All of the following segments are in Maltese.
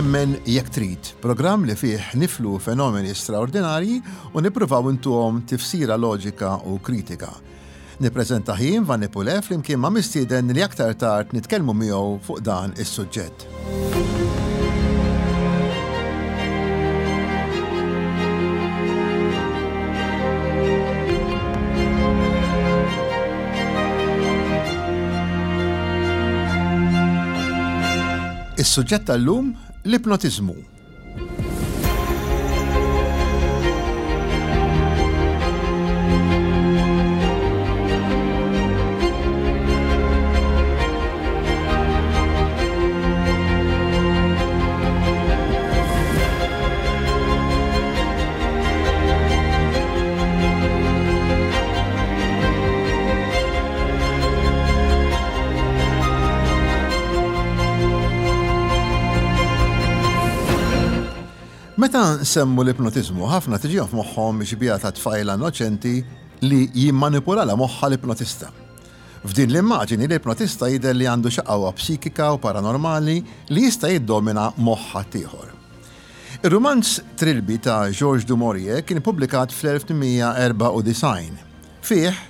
Emmen Jekk Trid, programm li fih niflu fenomeni straordinarji u nippruvaw intuhom tifsira loġika u kritika. Nippreżenta jien Vanni Pulè flimkien ma' mistieden li aktar tard nitkellmu miegħu fuq dan is-suġġett. Is-suġġett tal-lum l-ipnotiżmu. Meta nsemmu l-ipnotiżmu, ħafna tiġihom f'moħħhom xbieha ta' tfajla innoċenti li jimmanipulala moħħha l-ipnotista. F'din l-immaġini l-ipnotista jidher li għandu xi qawwa psikika u paranormali li jista' jiddomina moħħ ħaddieħor. Ir-rumanz Trilby ta' Georges du Maurier kien ippubblikat fl-1894. Fih,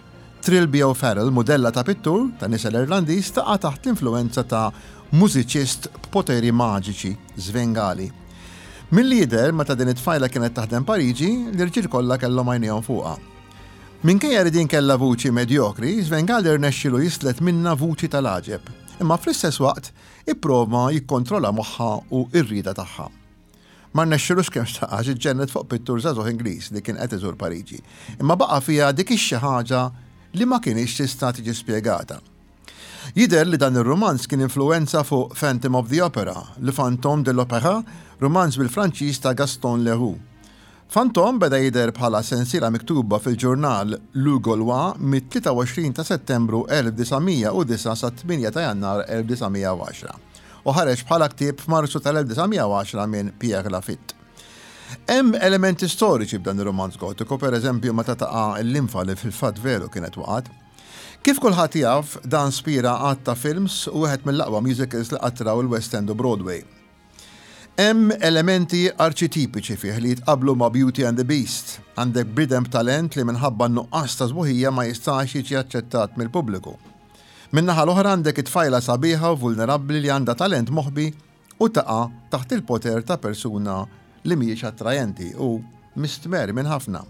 Trilby O'Farrell, mudella ta' pittur ta' nisel Irlandiż, taqa' taħt l-influwenza ta' mużiċist b'poteri maġiċi, Svengali. Milli jidher, meta din it-tfajla kienet taħdem Pariġi, l-irġiel kollha kellhom għajnejhom fuqha. Minkejja li din kellha vuċi medjokri, Svengali rnexxielu jislet minnha vuċi tal-għaġeb. Imma fl-istess waqt, Ipprova jikkontrolla moħħha u r-rieda tagħha. Ma rnexxilux kemm xtaq għax iġġennet fuq pittur żagħżugħ Ingliż li kien qed iżur Pariġi. Imma baqa' fiha dik ix-xi ħaġa li ma kinitx tista' tiġi spjegata. Jidher li dan ir-rumanz kien influwenza fuq Phantom of the Opera, Le Fantôme de l'Opéra, rumanz bil-Franċiż ta' Gaston Leroux. Fantôme beda jidher bħala sensiela miktuba fil-ġurnal Le Gaulois mit-23 ta' Settembru 1909 sat-8 ta' Jannar 1910 u ħareġ bħala ktieb f'Marzu tal-1910 minn Pierre Lafitte. Hemm elementi storiċi f'dan ir-rumanz gotiku, pereżempju meta taqa' l-linfa li fil-fatt veru kienet waqgħet. Kif kulħadd jaf, dan spira għadd ta' films u wieħed mill-aqwa musicals li qatt raw il-West End u Broadway. Hemm elementi arċitipiċi fih li jitqabblu ma' Beauty and the Beast. Għandek bniedem b'talent li minħabba n-nuqqas ta' sbuħija ma jistax jiġi aċċettat mill-pubbliku. Min-naħa l-oħra għandek it-tfajla sabiħa u vulnerabbli li għandha talent moħbi u taqa' taħt il-poter ta' persuna li mhijiex attrajenti u mistmerr minn ħafna.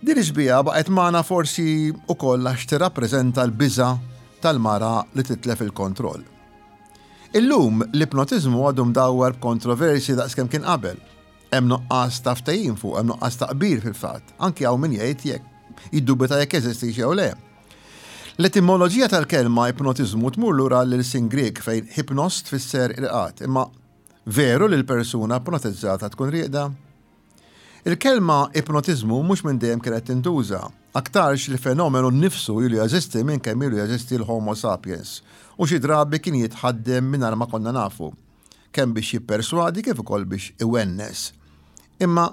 Din ix-xbieha baqgħet magħna forsi wkoll għax tirrappreżenta l-biża' tal-mara li titlef il-kontroll. Illum, l-ipnotiżmu għadu mdawwar b'kontroversji daqskemm kien qabel. Hemm nuqqas ta' ftehim fuq, hemm nuqqas ta' qbil fil-fatt. Anki hawn min jgħid jekk jiddubita jekk jeżistix jew le. L-etimoloġija tal-kelma ipnotiżmu tmur lura għall-ilsien Grieg fejn hypnos tfisser irqad, imma veru li l-persuna ipnotizzata tkun rieqda? Il-kelma ipnotiżmu mhux minn dejjem kienet tintuża. Aktarx li fenomenu nnifsu ilu jeżisti minn kemm ilu jeżisti l-Homo sapiens u xi drabi kien jitħaddem mingħajr ma konna nafu, kemm biex jipperswadi kif ukoll biex iwennes. Imma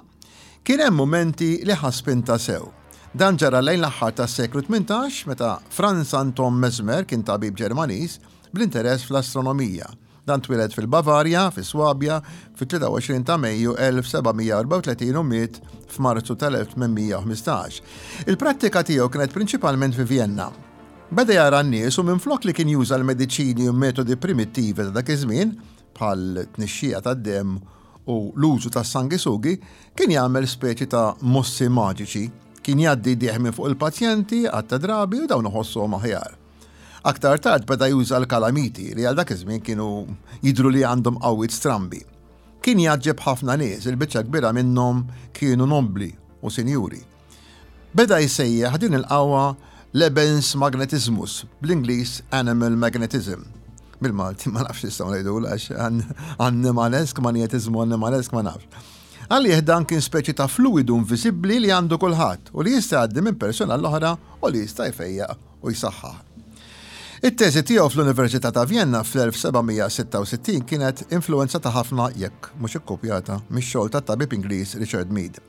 kien hemm mumenti li ħa spinta sew. Dan ġara lejn l-aħħar tas-seklu 18 meta Franz Anton Mesmer kien tabib Ġermaniż bl-interess fl-astronomija. Dan twieled fil-Bavarja, fi Swabja, fit-23 ta' Mejju 1734 u miet f'Marzu tal-1815. Il-prattika tiegħu kienet prinċipalment fi Vjenna. Beda jara n-nies u minflok li kien juża l-mediċini u metodi primittivi ta' dak iż-żmien, bħal tnixxija tad-demm u l-użu tas-sangisugi, kien jagħmel speċi ta' mossi maġiċi. Kien jgħaddi jdejh minn fuq il-pazjenti għadd ta' drabi u dawn iħossuhom aħjar. Aktar tard beda juża l-kalamiti li għal dak iż-żmien kienu jidhru li għandhom qawwiet strambi. Kien jgħaġġeb ħafna nies, il-biċċa kbira minnhom kienu nobbli u sinjuri. Beda jsejjaħ din il-qawwa Lebensmagnetismus, bl-Ingliż animal magnetism. Bil-Malti ma nafx nistgħu ngħidulha għax annimalesk, manjetiżmu annimalesk ma nafx. Għalih dan kien speċi ta' fluwidu inviżibbli li għandu kulħadd u li jista' jgħaddi minn persuna għall-oħra u li jista' jfejjaq u jsaħħaħ. It-teżi tiegħu fl-Università ta' Vjenna fl-1766 kienet influwenzata ħafna, jekk mhux ikkupjata, mix-xogħol tat-tabib Ingliż Richard Mead.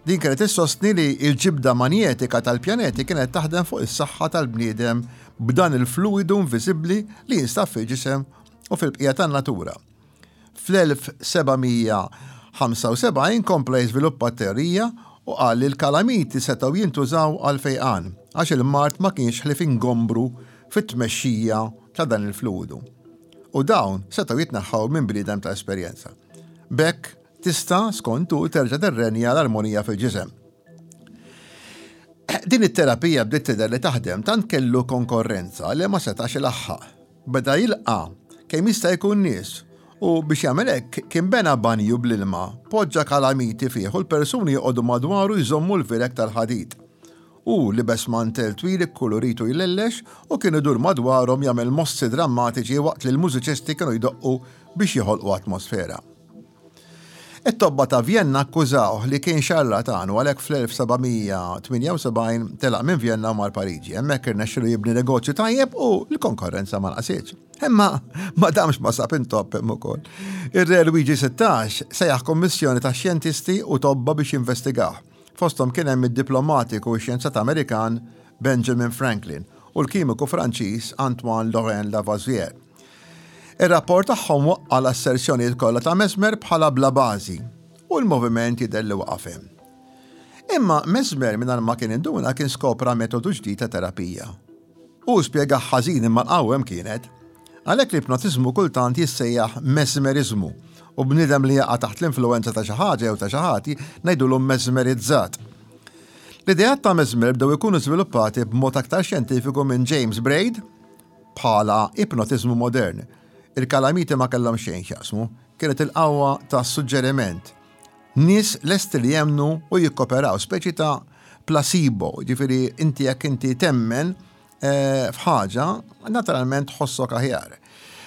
Din kienet issostni li l-ġibda manjetika tal-pjaneti kienet taħdem fuq is-saħħa tal-bniedem b'dan il-fluwidu inviżibbli li jinstab fil-ġisem u fil-bqija tan-natura. Fl-1775 kompla jiżviluppa t-teorija u qal li l-kalamiti setgħu jintużaw għall-fejqan għax il-mard ma kienx ħlief ingombru fit-tmexxija ta' dan il-fluwidu u dawn setgħu jitneħħaw minn bniedem ta' esperjenza. B'hekk tista', skont hu, terġa' tirrenja l-armonija fil-ġisem. Din it-terapija bdiet tidher li taħdem tant kellu konkorrenza li ma setax ilaħħaq. Beda jilqa' kemm jista' jkun nies u biex jagħmel hekk kien bena banju bl-ilma, poġġa kalamiti fih u l-persuni joqogħdu madwaru jżommu l-vireg tal-ħadid. Hu libes mantell twil ikkulurit u jlellex u kien idur madwarhom jagħmel mossi drammatiċi waqt li l-mużiċisti kienu jdoqqu biex joħolqu atmosfera. It-tobba ta' Vjenna akkużawh li kien xarlatan u għalhekk fl-1778 telaq minn Vjenna u mar Pariġi. Hemmhekk irnexxielu jibni negozju tajjeb u l-konkorrenza ma naqsitx. Imma ma damx ma sab intopp hemm ukoll. Ir-Re Luigi 16 sejjaħ kummissjoni ta' xjentisti u tobba biex jinvestigah. Fosthom kien hemm id-diplomatiku u xjenzat Amerikan Benjamin Franklin u l-kimiku Franċiż Antoine Laurent Lavoisier. Ir-rapport tagħhom waqqa' l-asserzjonijiet kollha ta' Mesmer bħala bla bażi u l-moviment jidher li waqaf hemm. Imma Mesmer mingħajr ma kien induna kien skopra metodu ġdid ta' terapija. Hu spjegah ħażin imma l-qawwa hemm kienet. Għalhekk l-ipnotiżmu kultant jissejjaħ mesmeriżmu u bniedem li jaqa' taħt l-influwenza ta' xi ħaġa jew ta' xi ħadd ngħidulu mesmerizzat. L-ideat ta' Mesmer bdew ikunu żviluppati b'mod aktar xjentifiku minn James Braid bħala ipnotiżmu modern. Il-kalamiti ma kellhom xejn x'jaqsmu, kienet il-qawwa tas-suġġeriment. Nies lesti li jemmnu u jikkoperaw, speċi ta' placebo, jiġifieri inti jekk inti temmen eh, f'ħaġa, naturalment tħossok aħjar.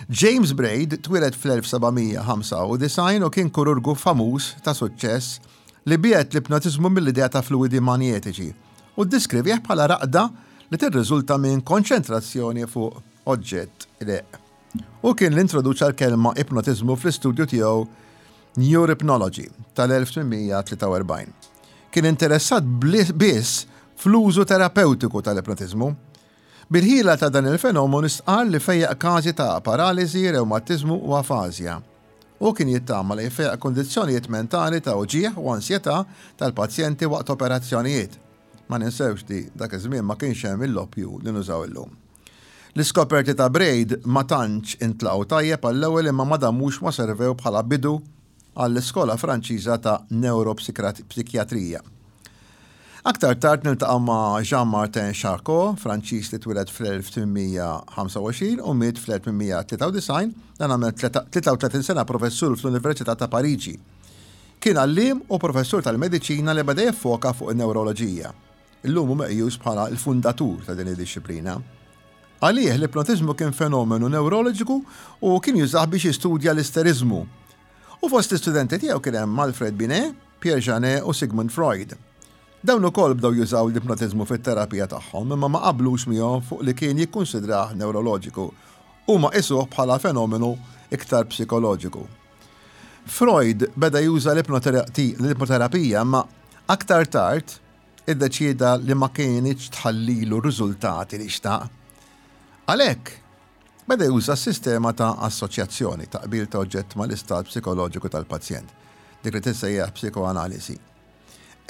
James Braid twieled fl-1795 u kien kururgu famuż ta' suċċess li biegħed l-ipnotiżmu mill-idea ta' fluwidi manjetiċi u ddiskrivih bħala raqda li tirriżulta minn konċentrazzjoni fuq oġġett req. Hu kien li introduċa l-kelma ipnotiżmu fl-istudju tiegħu Neurohypnology tal-1843. Kien interessat biss fl-użu terapewtiku tal-ipnotiżmu. Bil-ħila ta' dan il-fenomenu stqarr li fejjaq każi ta' paraliżi, rewmatiżmu u afażja. Hu kien jittama li jfejjaq kundizzjonijiet mentali ta' uġigħ u ansjetà tal-pazjenti waqt operazzjonijiet. Ma ninsewx li dak iż-żmien ma kienx hemm il-loppju li nużaw illum. L-iskoperti ta' Braid ma tantx intlaqgħu tajjeb għall-ewwel imma ma damux ma servew bħala bidu għall-iskola Franċiża ta' newropsikjatrija. Aktar tard niltaqgħu ma' Jean-Martin Charcot, Franċiż li twieled fl-1825 u miet fl-1893, dan għamel 33 sena professur fl-Università ta' Pariġi. Kien għalliem u professur tal-mediċina li beda jiffoka fuq in-newroloġija. Illum hu meqjus bħala l-fundatur ta' din id-dixxiplina. Għalih l-ipnotiżmu kien fenomenu newroloġiku u kien jużah biex jistudja l-isteriżmu. U fost l-istudenti tiegħu kien hemm Alfred Binet, Pierre Janet u Sigmund Freud. Dawn ukoll bdew jużaw l-ipnotiżmu fit-terapija tagħhom imma ma qablux miegħu fuq li kien jikkunsidrah newroloġiku. Huma qisuh bħala fenomenu iktar psikoloġiku. Freud beda juża l-ipnoterapija imma aktar tard iddeċieda li ma kinitx tħallilu r-riżultati li xtaq. Għalhekk, beda juża s-sistema ta' assoċjazzjoni, taqbil ta' oġġett mal-istat psikoloġiku tal-pazjent, dik li tissejjaħ psikoanalisi.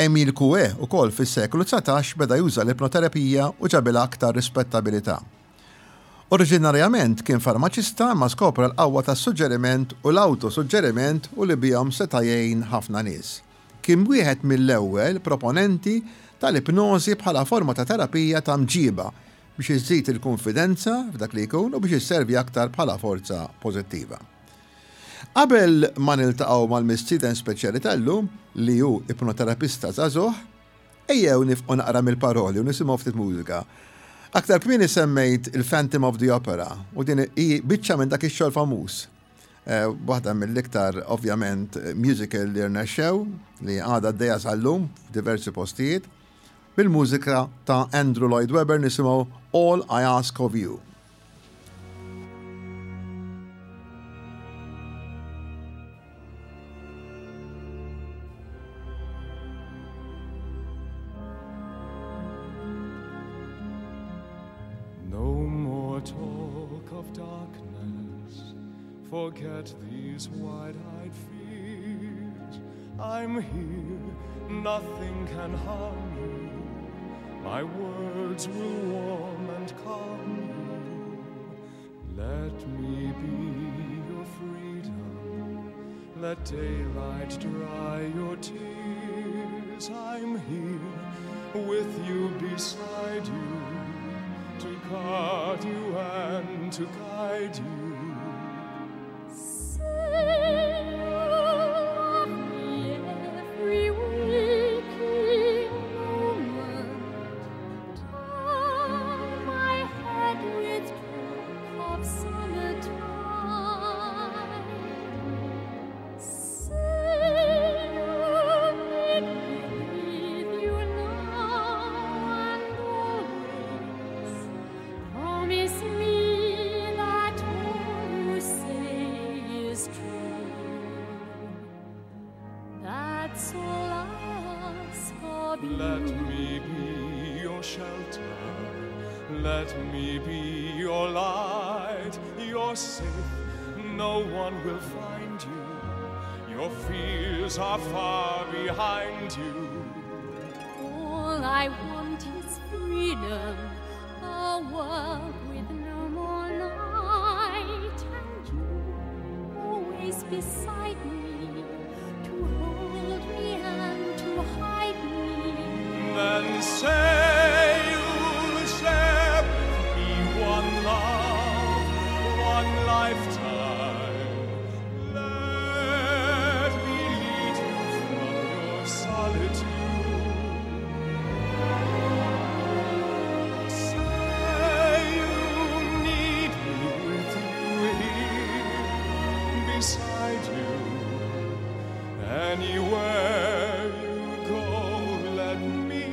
Emile Coué ukoll fis-seklu 19 beda juża l-ipnoterapija u ġabilha aktar rispettabilità. Oriġinarjament kien farmaċista imma skopra l-qawwa tas-suġġeriment u l-awtosuġġeriment u li bihom seta' jgħin ħafna nies. Kien wieħed mill-ewwel proponenti tal-ipnożi bħala forma ta' terapija ta' mġiba biex iżżid il-kunfidenza f'dak li jkun u biex isservi aktar bħala forza pożittiva. Qabel ma niltaqgħu mal-mistieden speċjali tal-lum, li hu ipnoterapista żagħżugħ, ejjew nifqu naqra mill-paroli u nisimgħu ftit mużika. Aktar kmieni semmejt il-Phantom of the Opera u din hi biċċa minn dak ix-xogħol famuż. Eh, waħda mill-iktar ovvjament musical li rnexxew li għadha għaddejja sal-lum f'diversi postijiet bil-mużika ta' Andrew Lloyd Webber nisimgħu All I Ask of You. No more talk of darkness. Forget these wide-eyed fears. I'm here, nothing can harm you. My words will warm and calm you. Let me be your freedom. Let daylight dry your tears. I'm here with you beside you to guard you and to guide you. Say you love me every waking moment. Turn my head with talk of summertime. Say you need me with you now and always. Promise me that all you say is true. That's all I ask of you. Let me be your shelter. Let me be your light. You're safe. No one will find you. Your fears are far behind you. All I want is freedom, a world with no more night, and you always beside me to hold me and to hide me. Then say you'll share with me one love, one lifetime. Let me lead you from your solitude. Say you need me with you here beside you. Anywhere you go, let me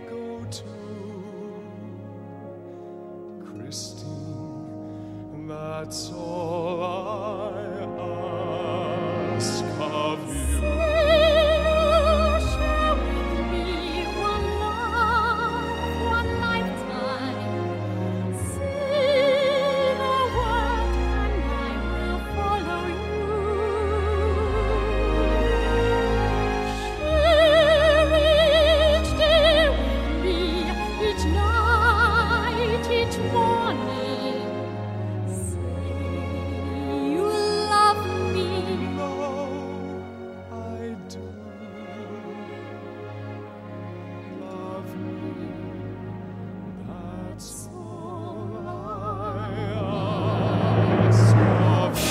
go too. Christine, that's all I ask of you. Say you'll share with me one love, one lifetime. Say the word and I will follow you. Share each day with me, each night, each morning. Say you love me. No, I do. Love me, that's all I ask of you.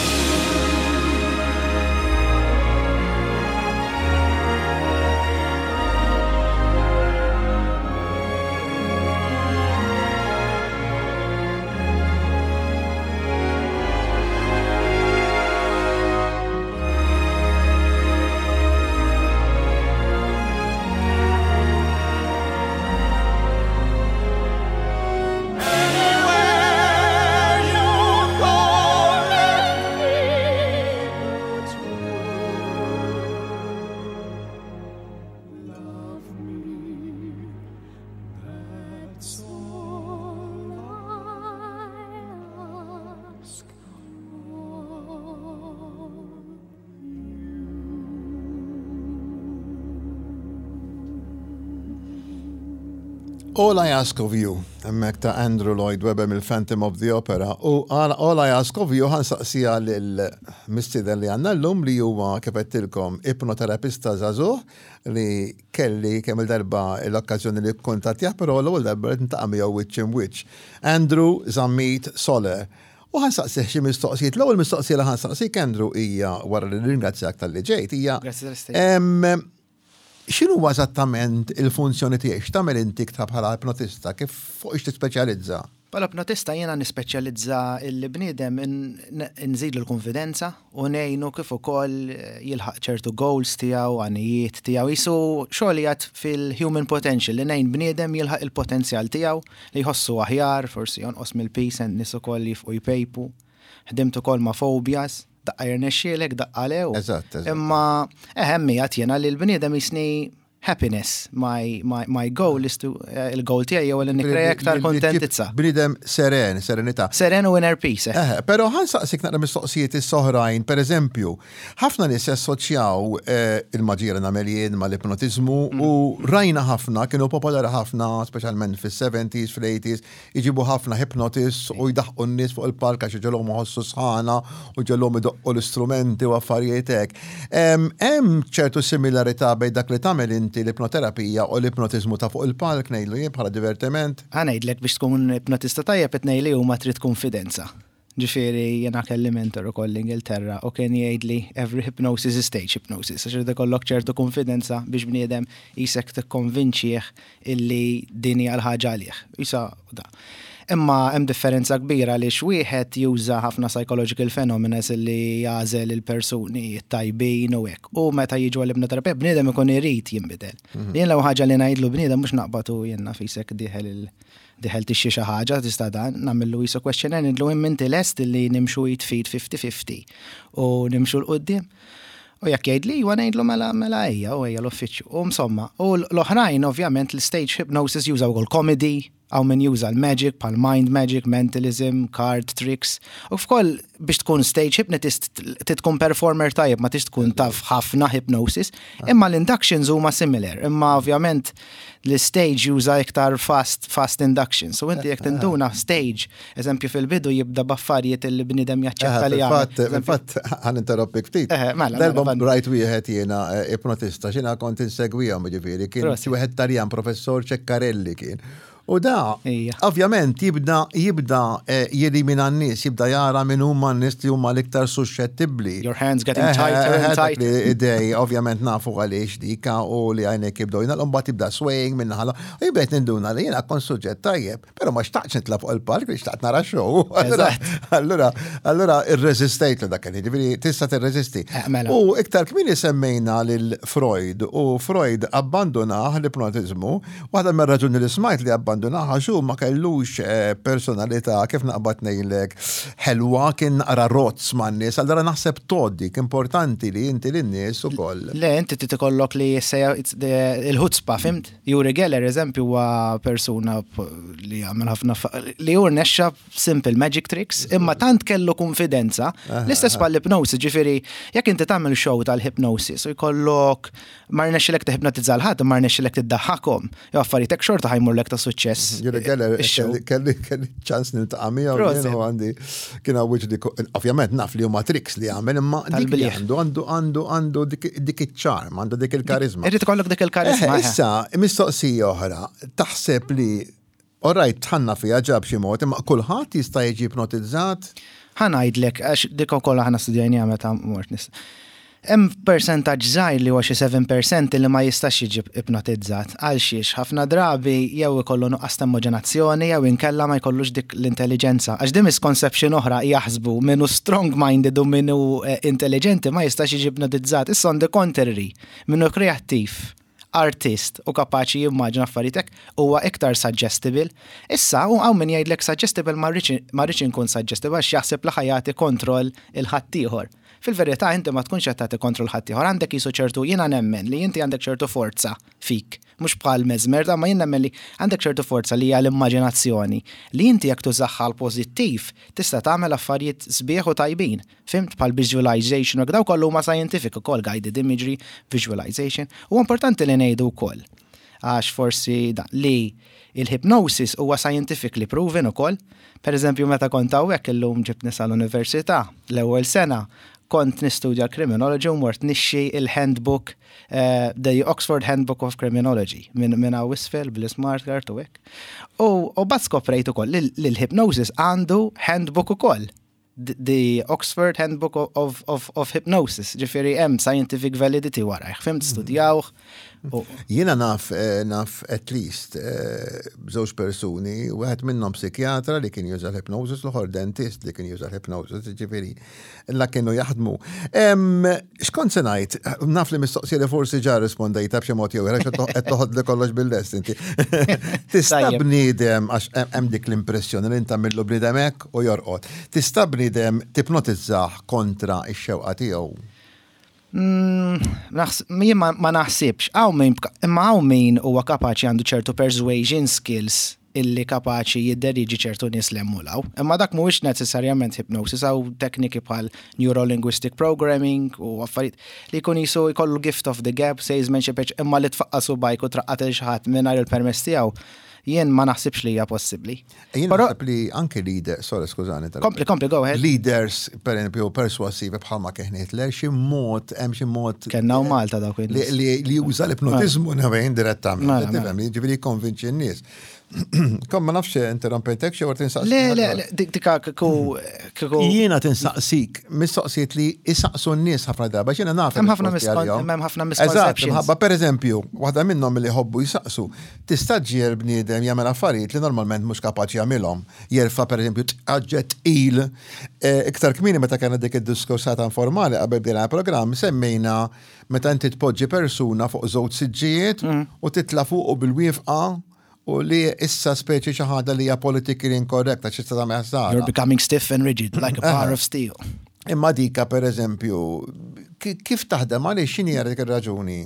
Anywhere you go, let me go too. Love me, that's all I ask of All I Ask of You, hemmhekk ta' Andrew Lloyd Webber mill-Phantom of the Opera, u All I Ask of You ħa nsaqsiha lill-mistieden li għandna llum li huwa kif għedtilkom ipnoterapista żagħżugħ li kelli kemm il-darba l-okkażjoni li kkuntattjah però l-ewwel darba rrid niltaqa' miegħu wiċċ imwiċċ. Andrew Zammit Soler. U ħa nsaqsih xi mistoqsijiet. L-ewwel mistoqsija li ħa nsaqsik Andrew hija wara li nirringrazzjak talli ġejt hija Grazzi tal-istedina. X'inhuwa eżattament il-funzjoni tiegħek? X'tagħmel inti bħala ipnotista? Kif fuq ix tispeċjalizza? Bħala ipnotista jiena nispeċjalizza il-bniedem nżidlu l-konfidenza u ngħinu kif ukoll jilħaq ċertu goals tiegħu, għanijiet tiegħu. Jisu xogħol jgħid fil-human potential li ngħin bniedem jilħaq il-potenzjal tiegħu li jħossu aħjar, forsi jonqos mill-piż, nies ukoll jifqu jpejpu. Ħdimt ukoll ma' phobias, daqqa jirnexxielek, daqqa le. Eżatt, eżatt. Imma eħem miegħed jiena li l-bniedem jisni happiness. My, my, my goal is to, eh, il-goal tiegħi jew li nikrea iktar kontentizza. Bniedem seren, serenità. Seren u inner peace. Eh, eh pero ħan saqsik naqra mistoqsijiet is-soħrajn, per eżempju, ħafna nies jassoċjaw eh, il-maġija li nagħmel jien mal-ipnotiżmu u rajna ħafna, kienu popolari ħafna, speċjalment fis-70s, fl-80s, Iġibu ħafna hypnotists u jdaħqu n-nies fuq il-palk għax iġegħluhom iħossu sħana u jġegħluhom idoqqu l-istrumenti u affarijiet hekk. Hemm ċertu similarità bejn dak li tagħmel inti l-ipnoterapija u l-ipnotiżmu ta' fuq il-palk ngħidlu jien bħala divertiment? Ħa ngħidlek biex tkun ipnotista tajjeb it-tnejn li huma trid kunfidenza. Ġifieri jiena kelli mentor ukoll l-Ingilterra u kien jgħidli every hypnosis is stage hypnosis għax irid ikollok ċertu kunfidenza biex bniedem qisek tikkonvinċih illi din hija l-ħaġa għalih. Isa da. Imma hemm differenza kbira għaliex wieħed juża ħafna psychological phenomena illi jagħżel il-persuni t-tajbin u hekk. U meta jiġu għall-ipnoterapija bniedem ikun irid jinbidel. Jien l-ewwel ħaġa li ngħidlu bniedem mhux naqbad u jien naf isek dieħel il Dieħel tixtri xi ħaġa tista' dan, nagħmillu qisu questionnaire ngħidlu imma inti lest illi nimxu id f'id 50-50 u nimxu 'l quddiem? U jekk jgħidli iwa ngħidlu mela mela ejja u ejja l-uffiċċju. U insomma, u l-oħrajn ovvjament l-stage hypnosis jużaw ukoll comedy, hawn min juża l-magic bħal mind magic, mentalism, card tricks. U f'koll biex tkun stage hypnotist trid tkun performer tajjeb ma tix tkun taf ħafna hypnosis, imma l-inductions huma similar, imma ovvjament l-stage juża iktar fast, fast induction. So inti jekk tinduna stage, eżempju fil-bidu jibda b'affarijiet li bniedem jaċċetta li jagħmel. Fil-fatt, ħan interrompik ftit. Mela, mela, Darba rajt wieħed jiena eh, ipnotista, xina kont insegwihom ġifieri, kien wieħed Taljan, professor Ceccarelli kien. U da, ovvjament, jibda jibda eh, jelimina n-nies, jibda jara minn huma n-nies li huma l-iktar suscettibbli. Your hands getting eh, tighter and eh, tighter. Idej, ovvjament nafu għaliex dika u li għajnek jibdew jingħalqu mbagħad jibda swaying minn naħa U jibda ninduna li jiena kont suġġett tajjeb, però ma xtaqtx nitla' fuq il-palk li xtaqt nara show. Allura, allura irreżistejt li dak ġifieri tista' tirreżisti. Mela. U iktar kmieni semmejna lil Freud u Freud abbandunah l-ipnotiżmu Waħda mir-raġuni li smajt li abbandunaha għax hu ma kellux eh, personalità kif naqbad ngħidlek ħelwa kien naqra rozz man-nies, allura naħseb tgħoddik importanti li inti lin-nies ukoll. Le, inti trid ikollok li sejja il-ħutzpa, fimt? Juri Geller, eżempju, huwa persuna li għamel ħafna li hu rnexxa simple magic tricks, imma tant kellu konfidenza, l-istess bħall-hypnosis, ġifieri jekk inti tagħmel show tal-hypnosis u jkollok ma rnexxilek tiħipnotizza l ħadd, ma rnexxilek tiddaħħakhom. Jew affarijiet hekk xorta ħajmurlek ta' suċċess. Juri Geller, kelli kelli ċans niltaqa' miegħu jien u għandi kien hawn wiċċ dik ovvjament naf li huma tricks li għamel imma dik li għandu għandu għandu għandu dik iċ-ċarm, għandu dik il-karizma. Irid ikollok dik il-karizma. Eh, issa, mistoqsija oħra, taħseb li All right, tħanna fiha ġa b'xi mod, imma kulħadd jista' jiġi ipnotizzat? Ħa ngħidlek, għax dik ukoll aħna studjajniha meta mort nis. Hemm persentaġġ żgħir li huwa xi 7% li ma jistax jiġi ipnotizzat. Għal xiex? Ħafna drabi jew ikollu nuqqas ta' immaġinazzjoni jew inkella ma jkollux dik l-intelliġenza. Għax din misconception oħra jaħsbu min hu strong minded u min hu eh, intelligenti ma jistax jiġi ipnotizzat. Issa on the contrary, min hu kreattiv artist u kapaċi jimmaġina affarijiet hekk huwa iktar suggestible. Issa hawn min jgħidlek suggestible ma rridx inkun suggestible għax jaħseb li ħa jagħti kontroll il ħaddieħor. Fil-verità inti ma tkunx qed tagħti kontroll ħaddieħor, għandek qisu ċertu jiena nemmen li inti għandek ċertu forza fik, mhux bħal Mesmer da ma jien nemmen li għandek ċertu forza li hija l-immaġinazzjoni li inti jekk tużaha għall-pożittiv tista' tagħmel affarijiet sbieħ u tajbin. Fhimt? Bħal visualization u hekk, dawk kollha huma scientific ukoll, guided imagery, visualization. Huwa importanti li ngħidu wkoll, għax forsi dan, li il-hypnosis huwa scientifically proven ukoll. Per eżempju, meta kont hawnhekk illum ġibtni sal-università, l-ewwel sena, kont nistudja l-criminology u mort nixxi il-handbook, eh, the Oxford Handbook of Criminology, minn min hawn isfel bl-smart card u hekk. U, u bat skoprejt ukoll li l-hypnosis għandu handbook ukoll. The Oxford Handbook of, of, of Hypnosis, ġifiri hemm scientific validity warajh, fimt mhm. studjawh. Jiena naf, eh, naf at least eh, żewġ persuni, wieħed minnhom psikjatra li kien juża l-hypnosis, l-oħor dentist li kien juża l-hypnosis, ġifieri la kienu jaħdmu. X'kont se ngħid, naf li mistoqsija li forsi ġa rispondejta b'xi mod jew ieħor qed toħodli kollox bil-lest inti. Tista' bniedem għax hemm dik l-impressjoni li inta millu bniedem hekk u jorqod. Tista' bniedem tipnotizzah kontra x-xewqa tiegħu? Jien ma naħsibx, hawn min, imma hawn min huwa kapaċi għandu ċertu persuasion skills illi kapaċi jidderieġi ċertu nies 'l hemm u 'l hawn. Imma dak mhuwiex neċessarjament hypnosis, hawn tekniki bħal neurolinguistic programming u affarijiet li jkun jisu jkollu gift of the gab, salesmanship, imma li tfaqqa' subgħajk u traqqad lil xi ħadd mingħajr il-permess tiegħu, jien ma naħsibx li hija possibbli. Jien naħseb li anke leader, sorry, skużani. Kompli, kompli, go ahead. Leaders, per esempio, persuasivi bħalma kien Hitler, xi mod, hemm xi mod. Kenna u Malta dawk Li juża l-ipnotizmu navejn direttament. Mela, mela. Tifhem, jiġifieri jikkonvinċi n-nies. Kom ma nafx interrompejtek xi wart insaqsik. Le, le, le, dik dika kiku kiku. Jiena tinsaqsik mistoqsijiet li isaqsu n-nies ħafna darba, x'jiena naf. Hemm ħafna hemm ħafna misconceptions. Eżatt, ħabba pereżempju, waħda minnhom li jħobbu jsaqsu, Tista' ġġiegħel bniedem jagħmel affarijiet li normalment mhux kapaċi jagħmilhom. Jerfa' pereżempju oġġett tqil. Iktar kmieni meta kellna dik id-diskursata informali qabel bdejna l-programm semmejna meta inti tpoġġi persuna fuq żewġ siġġijiet u titla' fuqu bil-wieqfa u li issa speċi xi ħaġa li hija politically incorrect għax tista' tagħmel ħsara. You're becoming stiff and rigid like a bar of steel. Imma dika pereżempju, kif taħdem għaliex x'inhi dik ir-raġuni?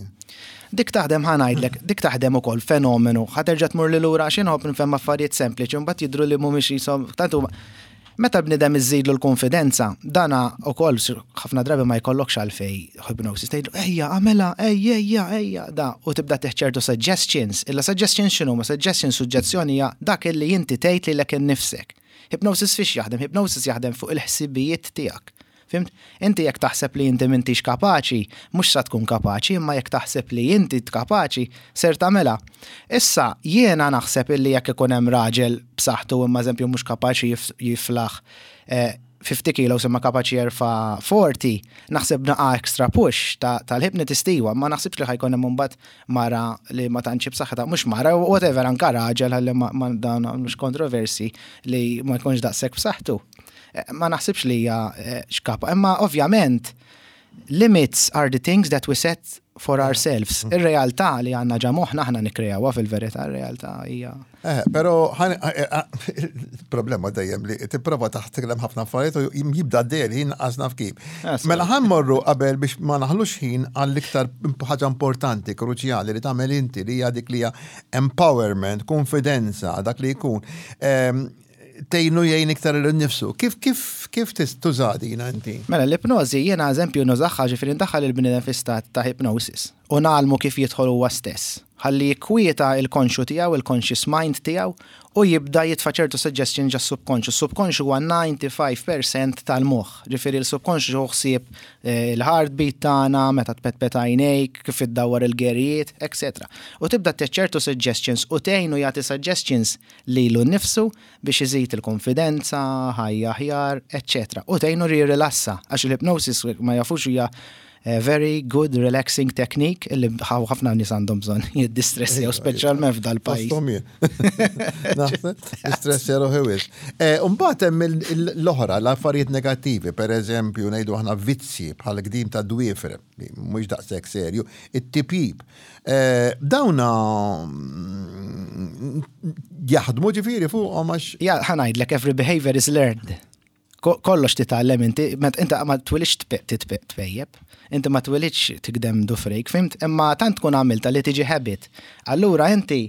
Dik taħdem ħa ngħidlek, dik taħdem ukoll fenomenu. Ħa terġa' tmur li lura għax inħobb nifhem affarijiet sempliċi u mbagħad jidhru li mhumiex qishom tant huma Meta bniedem iżżidlu l-kunfidenza, dana ukoll ħafna drabi ma jkollokx għalfejn hypnosis, tgħidlu ejja agħmilha, ejja ejja ejja da u tibda tih ċertu suggestions. Illa suggestions x'inhuma? Suggestions suġġezzjoni hija dak illi inti tgħid lilek innifsek. Hypnosis fiex jaħdem? Hypnosis jaħdem fuq il-ħsibijiet tiegħek. Fhimt? Inti jekk taħseb li inti m'intix kapaċi, mhux sa tkun kapaċi, imma jekk taħseb li inti kapaċi, ser tagħmilha. Issa, jiena naħseb illi jekk ikun hemm raġel b'saħħtu imma eżempju mhux kapaċi jiflaħ 50 kilos imma kapaċi jerfa' 40, naħseb naqa' extra push tal-hypnotist iwa, ma naħsibx li ħa jkun hemm imbagħad mara li ma tantx hi b'saħħitha, mhux mara, whatever, anka raġel ħalli ma dan mhux kontroversi li ma jkunx daqshekk b'saħħtu. Ma naħsibx li hija xkapa, imma ovvjament limits are the things that we set for ourselves. Ir-realtà li għandna ġa moħħna aħna nikkreawha fil-verità, ir-realtà hija. Eh, però problema dejjem li tipprova taħt ħafna affarijiet u jibda dejjem ħin qas naf kif. Mela ħa mmorru qabel biex ma naħlux ħin għall-iktar ħaġa importanti, kruċjali li tagħmel inti li hija dik li hija empowerment, konfidenza, dak li jkun. Ehm, tgħinu jgħin iktar lil nifsu. Kif kif kif tuża dina inti? Mela l-ipnożi jiena eżempju nużaha ġifieri ndaħħal il-bniedem fi stat ta' hypnosis u ngħallmu kif jidħol huwa stess. Ħalli jikkwieta il-konxju tiegħu, il-conscious mind tiegħu u jibda jitfa' ċertu suggestion ġa subkonxju. Subkonxju huwa 95% tal-moħħ. Ġifieri l-subkonxju hu ħsieb eh, il-heartbeat tagħna, meta tpetpet għajnejk, kif iddawwar il-gerijiet, etc. U tibda ċertu suggestions u tgħinu jagħti suggestions lilu nnifsu biex iżid il-konfidenza, ħajja aħjar, eċċetera. U tgħinu jirrilassa, għax il-hypnosis ma jafux hija very good relaxing technique illi ħafna nies għandhom bżonn jiddistressjaw speċjalment f'dal-pajjiż. Fosthom jien. Naħseb, distressja ruħi wisq. Umbagħad hemm l-oħra, l-affarijiet negattivi, per eżempju, ngħidu aħna vizzji bħal gdim ta' dwiefer, li mhux daqshekk serju, it-tipjip. Dawna jaħdmu ġifieri fuqhom għax. Ja, ħa ngħidlek, every behavior is learned. Kollox titgħallem inti, inti ma twilidx tpejjep, inti ma twilidx tigdem dufrejk, fhimt? Imma tant tkun għamilta li tiġi habit. Allura inti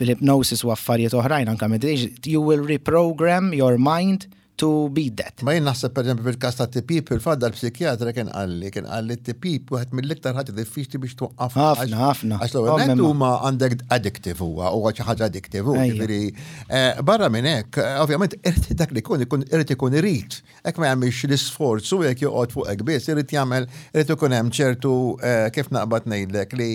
bil-hypnosis u affarijiet oħrajn anka meditation, you will reprogram your mind to beat that. Ma jien naħseb per eżempju fil-każ ta' tipjip fil-fatt dal-psikjatra kien qalli, kien qalli t-tipjip wieħed mill-iktar ħaġa diffiċli biex twaqqaf. Ħafna, ħafna. Għax l-ewwel nett huma għandek addictive huwa, huwa xi ħaġa addictive, jiġifieri barra minn hekk, ovvjament dak li jkun ikun irid ikun irid. Hekk ma jagħmilx l-isforz u jekk joqgħod fuq hekk biss, irid jagħmel irid ikun hemm ċertu kif naqbad ngħidlek li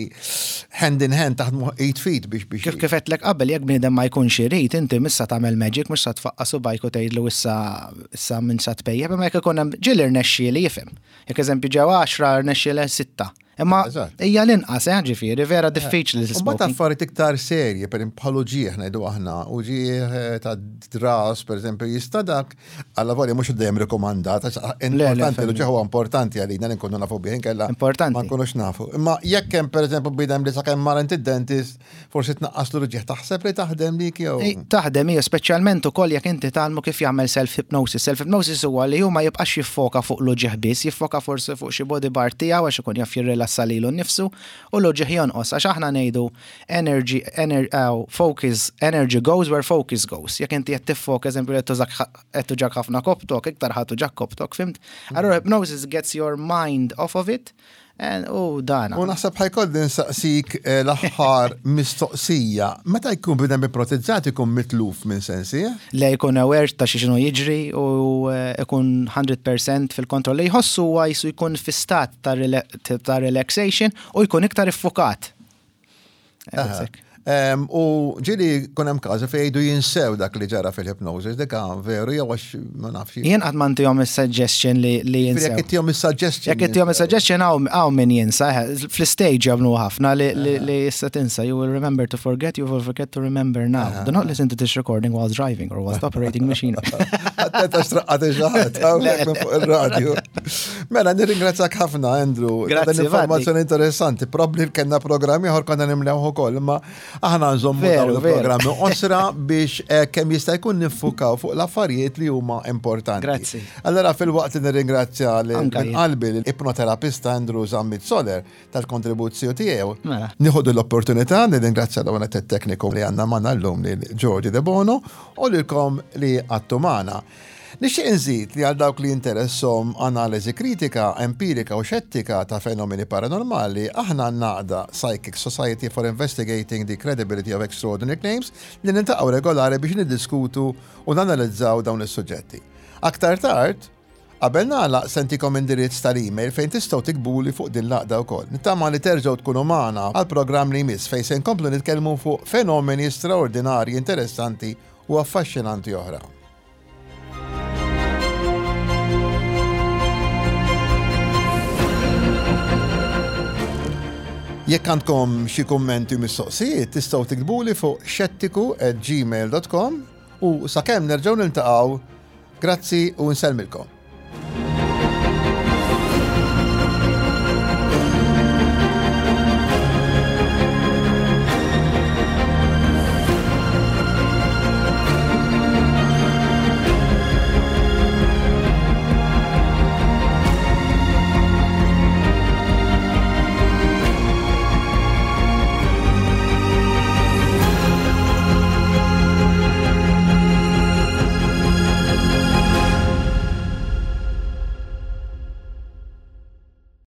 hand in hand taħdmu id f'id biex biex. Kif kif għedtlek qabel jekk bniedem ma jkunx irid, inti mhux sa tagħmel magic, mhux sa tfaqqa' subgħajk u tgħidlu issa issa minn sa tpejjep, imma jekk ikun hemm ġieli rnexxieli jifhem. Jekk eżempju ġew għaxra rnexxielha sitta. Imma hija l-inqas, eh, ġifieri, vera eh, diffiċli li Mbagħad affarijiet iktar serji, per bħal uġieħ ngħidu aħna, uġieħ eh, ta' dras, per eżempju, jista' dak, alla volja mhux dejjem rikomandat, importanti l-uġieħ huwa importanti għalina li nkunu nafu bih inkella. Importanti. Ma nkunux nafu. Imma jekk hemm pereżempju bidem li sakemm mar id-dentist, Forsi tnaqqas l-uġigħ taħseb li taħdem dik jew. Taħdem hija speċjalment ukoll jekk inti tgħallmu kif jagħmel self-hypnosis. Self-hypnosis huwa li hu ma jibqax jiffoka fuq l-uġigħ biss, jiffoka forsi fuq xi body part tiegħu għax ikun jaf jirrilassa lilu nnifsu u l-uġigħ jonqos għax aħna ngħidu energy, ener, focus, energy goes where focus goes. Jekk inti qed tiffoka eżempju qed tużak qed tuġak ħafna koptok, iktar ħa tuġak koptok, fimt? Allura hypnosis gets your mind off of it Eh, u dana. U naħseb ħajkolli nsaqsik eh, l-aħħar mistoqsija. Meta jkun bidem ipnotizzat ikun mitluf minn sensi? Eh? Le jkun aware ta' xi xinu jiġri u ikun 100% fil-kontroll. Li jħossu huwa jisu jkun fi stat ta' relaxation u jkun iktar iffukat. U ġili kun hemm każi fejn jgħidu jinsew dak li ġara fil-hypnosis, dik veru jew għax ma nafx. Jien qatt ma ntihom is-suggestion li jinsew. Jekk ittihom is-suggestion. Jekk ittihom is-suggestion hawn min jinsa, fl-stage jagħmlu ħafna li issa tinsa. You will remember to forget, you will forget to remember now. Do not listen to this recording while driving or whilst operating machine. Għatteta xtraqqat il-ġaħat, fuq il-radio. Mela, nirringrazzjak ħafna, Andrew. Grazzi. Informazzjoni interessanti. Probabli kellna programm ieħor konna nimlew ukoll, imma aħna nżommu dawn il-programmi osra biex eh, kemm jista' jkun niffukaw fuq l-affarijiet li huma importanti. Grazzi. Allora fil-waqt li nirringrazzja minn qalbi l-ipnoterapista Andrew Zammit Soler tal-kontribuzzju tiegħu. Mela. Nieħu l-opportunità nirringrazzja l tekniku li għandna magħna llum lil Giorgi De Bono u lilkom li għattu magħna. Nixtieq inżid li għal dawk li jinteresshom analiżi kritika, empirika u xettika ta' fenomeni paranormali, aħna għandna għaqda, Psychic Society for Investigating the Credibility of Extraordinary Claims, li niltaqgħu regolari biex niddiskutu u nanalizzaw dawn is-suġġetti. Aktar tard, qabel nagħlaq se ntikom indirizz tal-email fejn tistgħu tiktbuli fuq din l-għaqda wkoll. Nittama li terġgħu tkunu magħna għall-programm li jmiss fejn se nkomplu nitkellmu fuq fenomeni straordinarji interessanti u affaxxinanti oħra. Jekk għandkom xi kummenti u mistoqsijiet tistgħu tiktbuli fuq xettiku@gmail.com u sakemm nerġgħu niltaqgħu, grazzi u nsellmilkom.